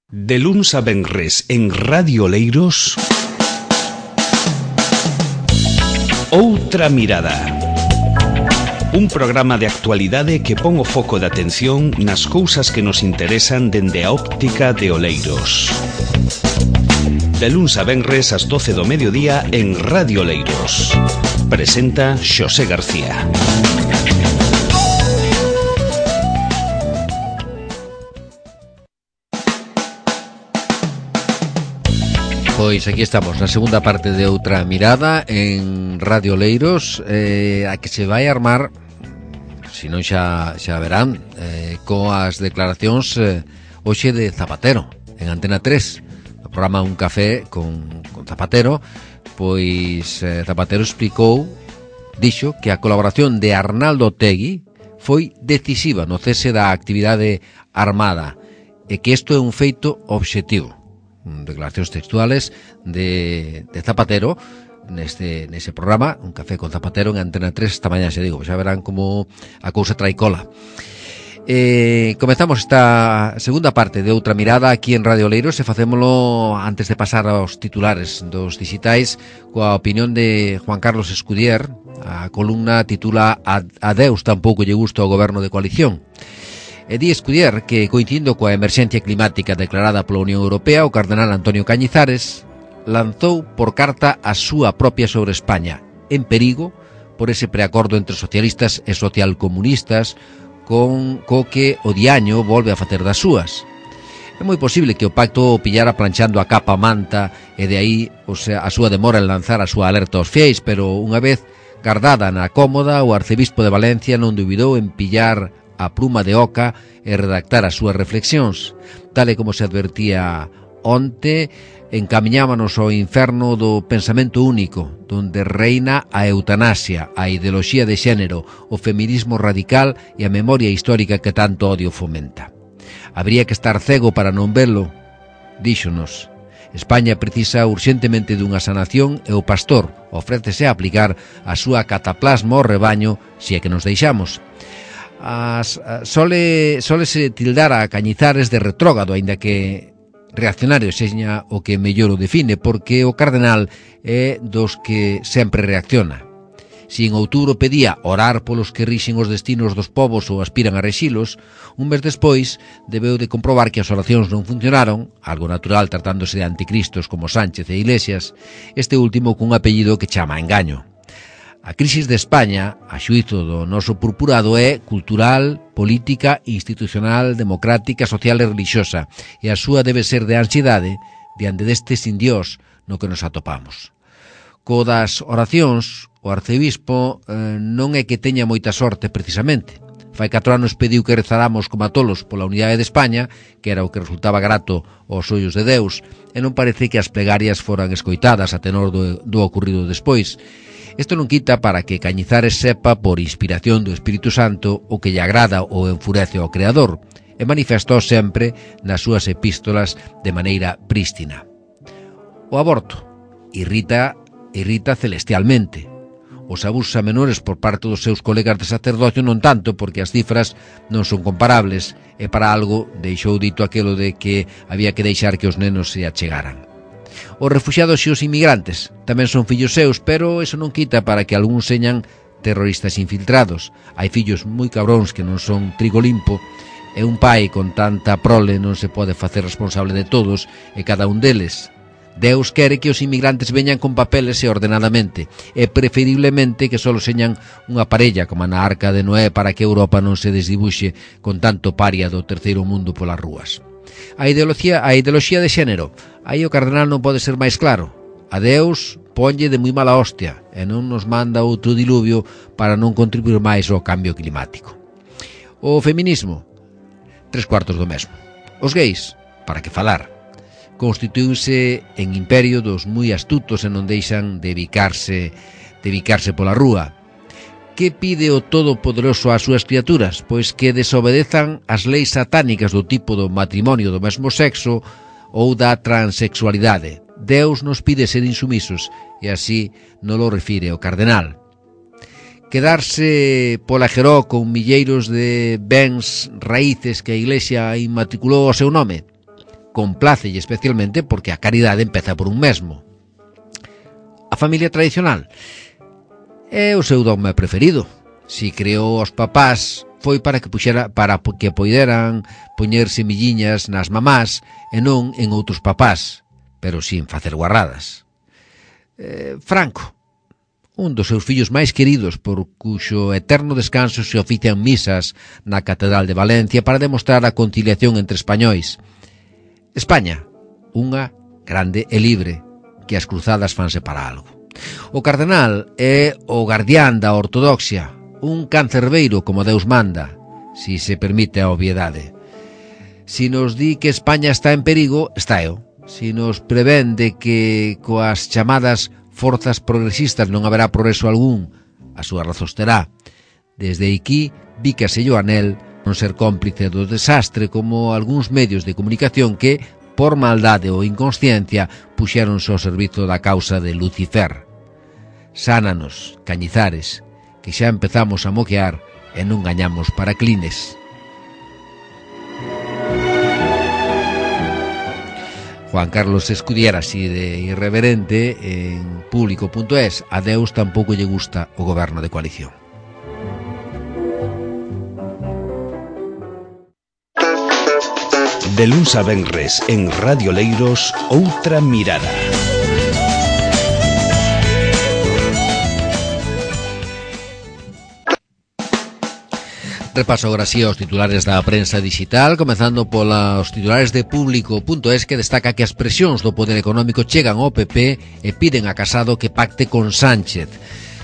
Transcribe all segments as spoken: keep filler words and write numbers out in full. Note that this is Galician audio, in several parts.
De luns a venres en Radio Oleiros, Outra Mirada. Un programa de actualidade que pon o foco de atención nas cousas que nos interesan dende a óptica de Oleiros. De luns a venres ás doce do mediodía en Radio Oleiros. Presenta Xosé García. Pois aquí estamos, na segunda parte de Outra Mirada en Radio Oleiros, eh, a que se vai armar, se non xa, xa verán, eh, coas declaracións eh, hoxe de Zapatero, en Antena tres, o programa Un Café con, con Zapatero. Pois eh, Zapatero explicou, dixo, que a colaboración de Arnaldo Otegi foi decisiva no cese da actividade armada e que isto é un feito obxectivo. Declaracións textuales de, de Zapatero neste nese programa Un Café con Zapatero en Antena tres esta mañá, xa digo, xa verán como a cousa trae cola. Eh, comezamos esta segunda parte de Outra Mirada aquí en Radio Oleiros e facémolo antes de pasar aos titulares dos digitais coa opinión de Juan Carlos Escudier. A columna titula Adeus tampouco lle gusta o goberno de coalición. E di Escudier que, coincidindo coa emerxencia climática declarada pola Unión Europea, o cardenal Antonio Cañizares lanzou por carta a súa propia sobre España, en perigo por ese preacordo entre socialistas e socialcomunistas con co que o diaño volve a facer das súas. É moi posible que o pacto o pillara planchando a capa manta e de aí, o sea, a súa demora en lanzar a súa alerta aos fiéis, pero unha vez guardada na cómoda, o arcebispo de Valencia non duvidou en pillar a pluma de oca e redactar as súas reflexións. Tal e como se advertía onte, encamiñámonos ao inferno do pensamento único, donde reina a eutanasia, a ideoloxía de xénero, o feminismo radical e a memoria histórica que tanto odio fomenta. Habría que estar cego para non velo, díxonos. España precisa urxentemente dunha sanación e o pastor ofrécese a aplicar a súa cataplasma ao rebaño se é que nos deixamos. As, sole, sole se tildar a Cañizares de retrógado, aínda que reaccionario seña o que mellor o define, porque o cardenal é dos que sempre reacciona. Si en outubro pedía orar polos que rixen os destinos dos povos ou aspiran a rexilos, un mes despois debeu de comprobar que as oracións non funcionaron, algo natural tratándose de anticristos como Sánchez e Iglesias, este último cun apellido que chama a engaño. A crisis de España, a xuízo do noso purpurado, é cultural, política, institucional, democrática, social e relixiosa, e a súa debe ser de ansiedade diante deste sin Dios no que nos atopamos. Co das oracións, o arcebispo eh, non é que teña moita sorte precisamente. Fai catro anos pediu que rezáramos como a tolos pola unidade de España, que era o que resultaba grato aos ollos de Deus, e non parece que as plegarias foran escoitadas a tenor do, do ocurrido despois. Isto non quita para que Cañizares sepa por inspiración do Espírito Santo o que lle agrada ou enfurece ao Creador, e manifestou sempre nas súas epístolas de maneira prístina. O aborto irrita, irrita celestialmente. Os abusos a menores por parte dos seus colegas de sacerdocio non tanto, porque as cifras non son comparables, e para algo deixou dito aquelo de que había que deixar que os nenos se achegaran. Os refuxiados e os inmigrantes tamén son fillos seus, pero eso non quita para que algúns señan terroristas infiltrados. Hai fillos moi cabróns que non son trigo limpo, e un pai con tanta prole non se pode facer responsable de todos e cada un deles. Deus quere que os inmigrantes veñan con papeles e ordenadamente, e preferiblemente que só señan unha parella como na Arca de Noé, para que Europa non se desdibuxe con tanto paria do terceiro mundo polas rúas. A ideoloxía, a ideoloxía de xénero, aí o cardenal non pode ser máis claro. A Deus ponlle de moi mala hostia e non nos manda outro diluvio para non contribuir máis ao cambio climático. O feminismo, tres cuartos do mesmo. Os gays, para que falar, constituíuse en imperio dos moi astutos e non deixan de bicarse, de bicarse pola rúa. Que pide o Todopoderoso ás súas criaturas? Pois que desobedezan as leis satánicas do tipo do matrimonio do mesmo sexo ou da transexualidade. Deus nos pide ser insumisos, e así non lo refire o cardenal. Quedarse pola Jeró con milleiros de bens raíces que a Iglesia inmatriculou ao seu nome? complácelle especialmente porque a caridade empeza por un mesmo. A familia tradicional é o seu dogma preferido. Si creou os papás foi para que puxera, para que poideran poñer semilliñas nas mamás e non en outros papás, pero sin facer guarradas. Eh, Franco, un dos seus fillos máis queridos, por cuxo eterno descanso se ofician misas na Catedral de Valencia para demostrar a conciliación entre españois. España, unha grande e libre, que as cruzadas fanse para algo. O cardenal é o guardián da ortodoxia, un cancerbeiro como Deus manda, si se permite a obviedade. Si nos di que España está en perigo, está eu. Si nos prevén de que coas chamadas forzas progresistas non haberá progreso algún, a súa razóns terá. Desde aquí, bícaselle a nel non ser cómplice do desastre como algúns medios de comunicación que, por maldade ou inconsciencia, puxéronse ao servizo da causa de Lucifer. Sánanos, Cañizares, que xa empezamos a moquear e non gañamos para clines. Juan Carlos Escudiera, así de irreverente, en público punto es, a Deus tampouco lle gusta o goberno de coalición. De luns a venres en Radio Leiros, Outra Mirada. Repaso agora sí aos titulares da prensa digital, comezando polos titulares de público punto es, que destaca que as presións do poder económico chegan ao P P e piden a Casado que pacte con Sánchez.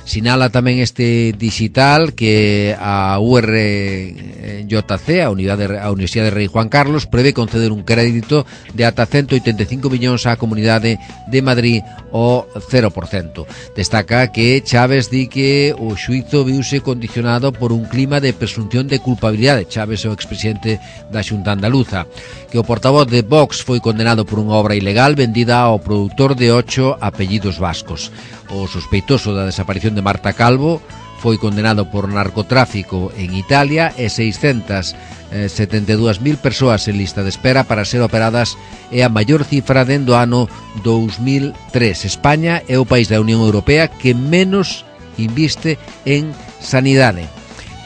Sinala tamén este digital que a U R J C, a Unidade, a Universidade Rei Juan Carlos, prevé conceder un crédito de ata ciento oitenta e cinco millóns á Comunidade de Madrid ao cero por cento. Destaca que Chaves di que o xuízo viuse condicionado por un clima de presunción de culpabilidade. Chaves é o expresidente da Xunta Andaluza. Que o portavoz de Vox foi condenado por unha obra ilegal vendida ao produtor de ocho apellidos vascos. O sospeitoso da desaparición de Marta Calvo foi condenado por narcotráfico en Italia e seiscentas setenta e dúas mil persoas en lista de espera para ser operadas é a maior cifra dende o ano dous mil tres. España é o país da Unión Europea que menos inviste en sanidade.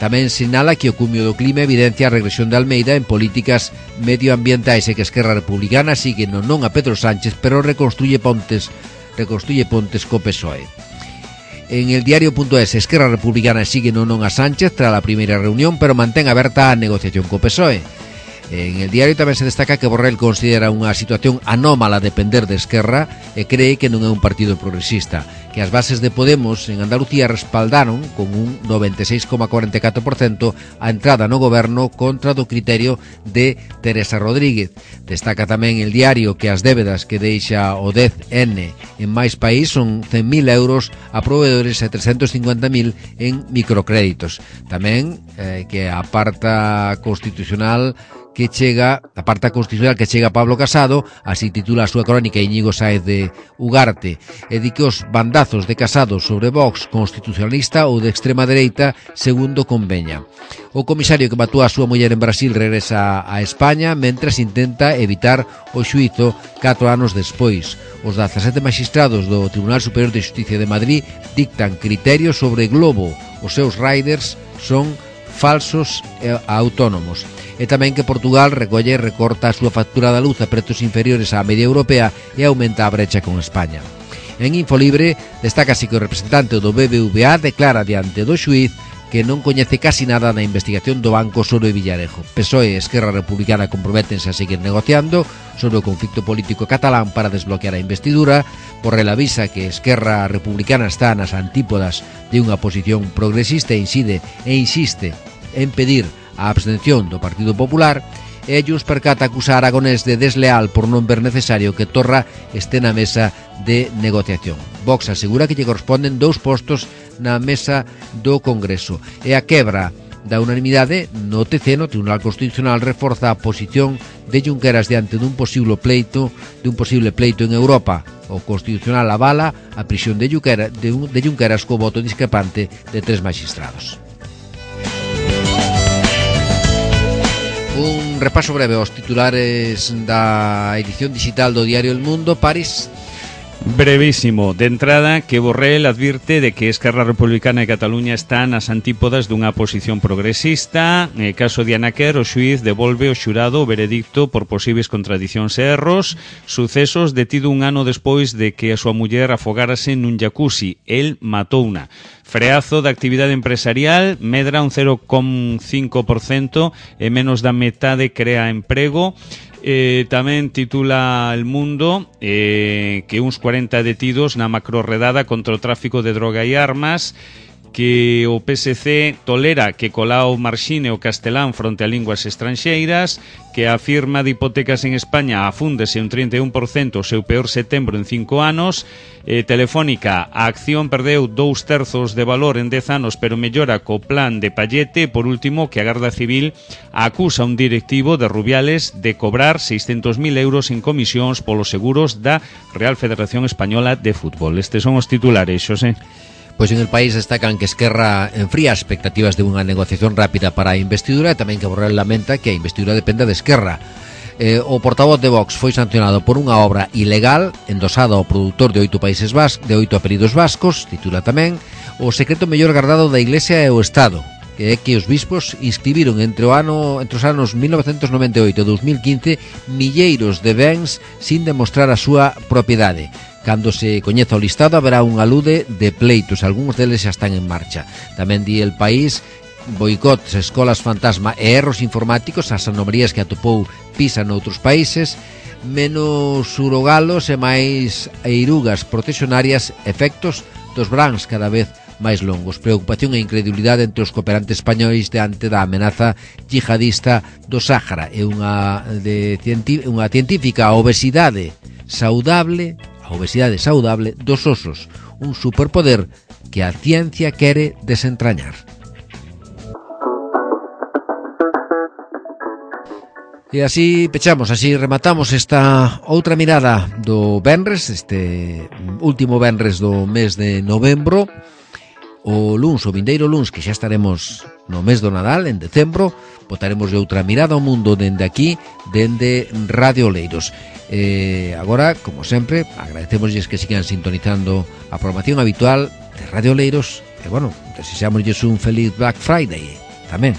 Tamén sinala que o cumio do clima evidencia a regresión de Almeida en políticas medioambientais e que Esquerra Republicana sigue non non a Pedro Sánchez, pero reconstruye pontes reconstruye pontes co P S O E. En el diario punto es, Esquerra Republicana sigue non non a Sánchez tras a primeira reunión, pero mantén aberta a negociación co P S O E. En el diario tamén se destaca que Borrell considera unha situación anómala depender de Esquerra e cree que non é un partido progresista, que as bases de Podemos en Andalucía respaldaron con un noventa e seis coma cuarenta e catro por cento a entrada no goberno contra do criterio de Teresa Rodríguez. Destaca tamén el diario que as débedas que deixa o dez ene en máis país son cen mil euros a proveedores e trescentos cincuenta mil en microcréditos. Tamén eh, que a parta constitucional que chega, a parta constitucional que chega Pablo Casado, así titula a súa crónica Íñigo Sáez de Ugarte, e di que os bandazos de Casado sobre Vox constitucionalista ou de extrema dereita segundo conveña. O comisario que matou a súa muller en Brasil regresa a España mentras intenta evitar o xuízo catro anos despois. Os dezasete magistrados do Tribunal Superior de Xusticia de Madrid dictan criterios sobre Globo. Os seus riders son falsos e autónomos. E tamén que Portugal recolle e recorta a súa factura da luz a prezos inferiores á media europea e aumenta a brecha con España. En Infolibre destacase que o representante do B B V A declara diante do xuíz que non coñece casi nada na investigación do Banco Soro e Villarejo. P S O E e Esquerra Republicana comprométense a seguir negociando sobre o conflicto político catalán para desbloquear a investidura. Borrell avisa que Esquerra Republicana está nas antípodas de unha posición progresista e incide e insiste en pedir a abstención do Partido Popular. E Junts per Cat acusa a Aragonés de desleal por non ver necesario que Torra este na mesa de negociación. Vox asegura que lle corresponden dous postos na mesa do Congreso. E a quebra da unanimidade no T C, no Tribunal Constitucional, reforza a posición de Junqueras diante dun posible pleito dun posible pleito en Europa. O Constitucional avala a prisión de Junqueras, de, de Junqueras co voto discrepante de tres magistrados. Un repaso breve aos titulares da edición digital do diario El Mundo. París. Brevísimo. De entrada, que Borrell advirte de que Esquerra Republicana de Cataluña está nas antípodas dunha posición progresista. En caso de Anaquer, o xuiz devolve ao xurado o veredicto por posibles contradicións e erros. Sucesos detido un ano despois de que a súa muller afogárase nun jacuzzi. El matouna. Freazo da actividade empresarial, medra un cero coma cinco por cento e menos da metade crea emprego. Eh, tamén titula El Mundo eh, que uns cuarenta detidos na macrorredada contra o tráfico de droga e armas, que o P S C tolera que Colau marxine o castelán fronte a linguas estranxeiras, que a firma de hipotecas en España afúndese un trinta e un por cento o seu peor setembro en cinco anos. eh, Telefónica, a acción perdeu dous terzos de valor en dez anos, pero mellora co plan de Pallete. Por último, que a Garda Civil acusa un directivo de Rubiales de cobrar seiscentos mil euros en comisións polos seguros da Real Federación Española de Fútbol. Estes son os titulares, Xosé. Pois en el país destacan que Esquerra enfría as expectativas de unha negociación rápida para a investidura e tamén que Borrell lamenta que a investidura dependa de Esquerra. Eh, o portavoz de Vox foi sancionado por unha obra ilegal endosada ao produtor de oito países vascos, de oito apelidos vascos. Titula tamén o secreto mellor guardado da Iglesia e o Estado, que é que os bispos inscribiron entre o ano entre os anos mil novecentos noventa e oito e dos mil quince milleiros de bens sin demostrar a súa propiedade. Cando se coñeza o listado haberá un alude de pleitos, algúns deles xa están en marcha. Tamén di El País, boicots, escolas fantasma e erros informáticos, as anomalías que atopou PISA noutros países, menos urogalos e máis eirugas protexionarias, efectos dos brans cada vez máis longos, preocupación e incredulidade entre os cooperantes españois diante da amenaza yihadista do Sáhara e unha, de, unha científica obesidade saudable a obesidade saudable dos osos, un superpoder que a ciencia quere desentrañar. E así pechamos, así rematamos esta outra mirada do venres, este último venres do mes de novembro. O luns, o vindeiro luns, que xa estaremos no mes do Nadal, en decembro, botaremos de outra mirada ao mundo dende aquí, dende Radio Oleiros. Eh, agora, como sempre, agradecemosles que sigan sintonizando a programación habitual de Radio Oleiros e, bueno, desexámosles un feliz Black Friday tamén.